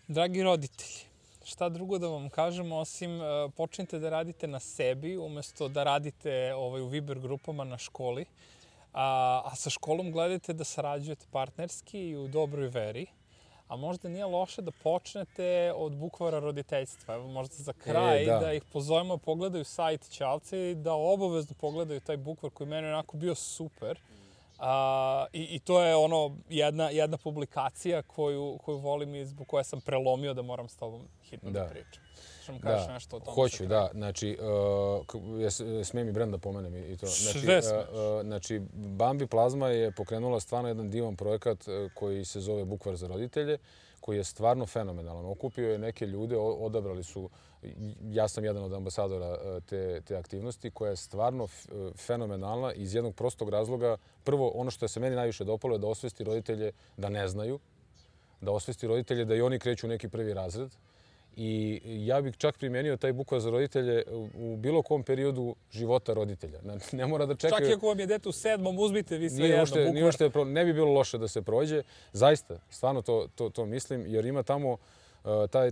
Dragi roditelji, šta drugo da vam kažem, osim počnite da radite na sebi, umjesto da radite u Viber grupama na školi, a sa školom gledajte da sarađujete partnerski i u dobroj veri. A možda nije loše da počnete od bukvara roditeljstva. Evo možda za kraj da ih pozovemo, pogledaju sajt Ćalce i da obavezno pogledaju taj bukvar koji meni je onako bio super. I to je ono jedna publikacija koju volim i zbog koje sam prelomio da moram s tobom hitno da pričam. Što mi kažeš nešto o tome? Hoću, da. Znači, smijem i brend da pomenem i to. Znači, Bambi Plazma je pokrenula stvarno jedan divan projekat koji se zove Bukvar za roditelje, koji je stvarno fenomenalan. Okupio je neke ljude, odabrali su, ja sam jedan od ambasadora te aktivnosti, koja je stvarno fenomenalna iz jednog prostog razloga. Prvo, ono što se meni najviše dopalo je da osvesti roditelje da ne znaju, da osvesti roditelje da i oni kreću u neki prvi razred. I ja bih čak primenio taj Bukvar za roditelje u bilo kom periodu života roditelja. Ne mora da čekaju... Čak i ako vam je dete u 7. uzmite vi sve jedno Bukvar. Ne bi bilo loše da se prođe. Zaista, stvarno to mislim, jer ima tamo...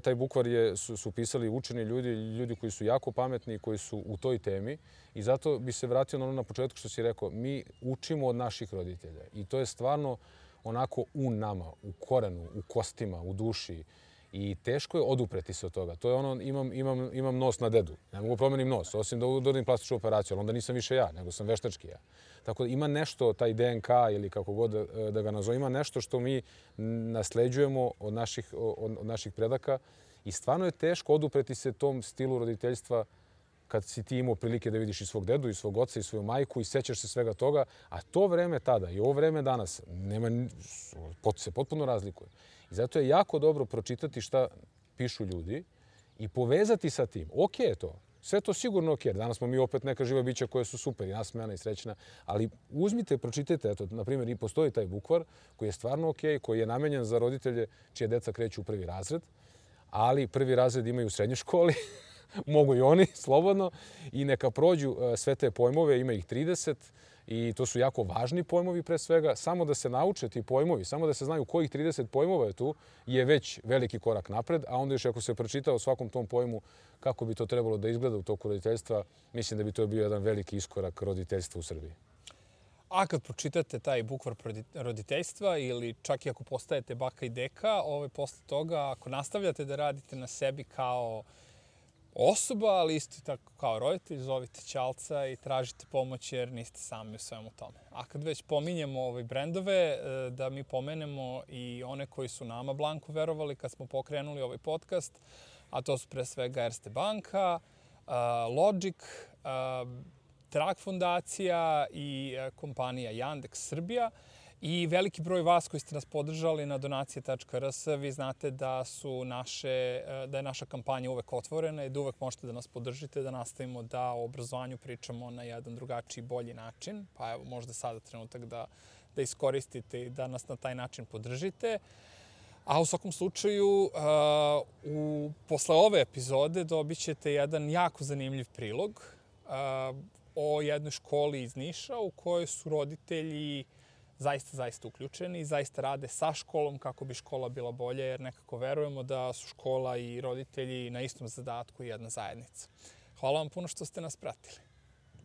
Taj Bukvar su pisali učeni ljudi koji su jako pametni, koji su u toj temi. I zato bi se vratio na ono na početku što si rekao. Mi učimo od naših roditelja. I to je stvarno onako u nama, u korenu, u kostima, u duši. I teško je odupreti se od toga. To je ono, imam nos na dedu. Ne mogu promenim nos, osim da uradim plastičnu operaciju, ali onda nisam više ja, nego sam veštački ja. Tako da ima nešto, taj DNK ili kako god da ga nazove, ima nešto što mi nasleđujemo od naših predaka i stvarno je teško odupreti se tom stilu roditeljstva kad si ti imao prilike da vidiš i svog dedu, i svog oca, i svoju majku i sećaš se svega toga, a to vreme tada i ovo vreme danas se potpuno razlikuje. I zato je jako dobro pročitati šta pišu ljudi i povezati sa tim. Okej je to. Sve to sigurno okej. Danas smo mi opet neka živa bića koja su super i nasmejana i srećna. Ali uzmite, pročitajte. Eto, na primjer, i postoji taj Bukvar koji je stvarno okej, koji je namenjen za roditelje čije deca kreću u prvi razred. Ali prvi razred imaju u srednjoj školi. Mogu i oni, slobodno. I neka prođu sve te pojmove, ima ih 30. I to su jako važni pojmovi pre svega. Samo da se nauče ti pojmovi, samo da se znaju kojih 30 pojmova je tu, je već veliki korak napred. A onda još ako se pročita o svakom tom pojmu kako bi to trebalo da izgleda u toku roditeljstva, mislim da bi to bio jedan veliki iskorak roditeljstva u Srbiji. A kad pročitate taj Bukvar roditeljstva ili čak i ako postajete baka i deka, posle toga ako nastavljate da radite na sebi kao osoba, ali isto tako kao roditelj, zovite ćalca i tražite pomoć jer niste sami u svemu tome. A kad već pominjemo brendove, da mi pomenemo i one koji su nama blanko verovali kad smo pokrenuli ovaj podcast, a to su pre svega Erste banka, Logic, Trag fondacija i kompanija Yandex Srbija. I veliki broj vas koji ste nas podržali na donacije.rs, vi znate da je naša kampanja uvek otvorena i da uvek možete da nas podržite, da nastavimo da o obrazovanju pričamo na jedan drugačiji, bolji način. Pa evo, možda sada trenutak da iskoristite i da nas na taj način podržite. A u svakom slučaju, posle ove epizode dobit ćete jedan jako zanimljiv prilog o jednoj školi iz Niša u kojoj su roditelji zaista uključeni i zaista rade sa školom kako bi škola bila bolja, jer nekako verujemo da su škola i roditelji na istom zadatku i jedna zajednica. Hvala vam puno što ste nas pratili.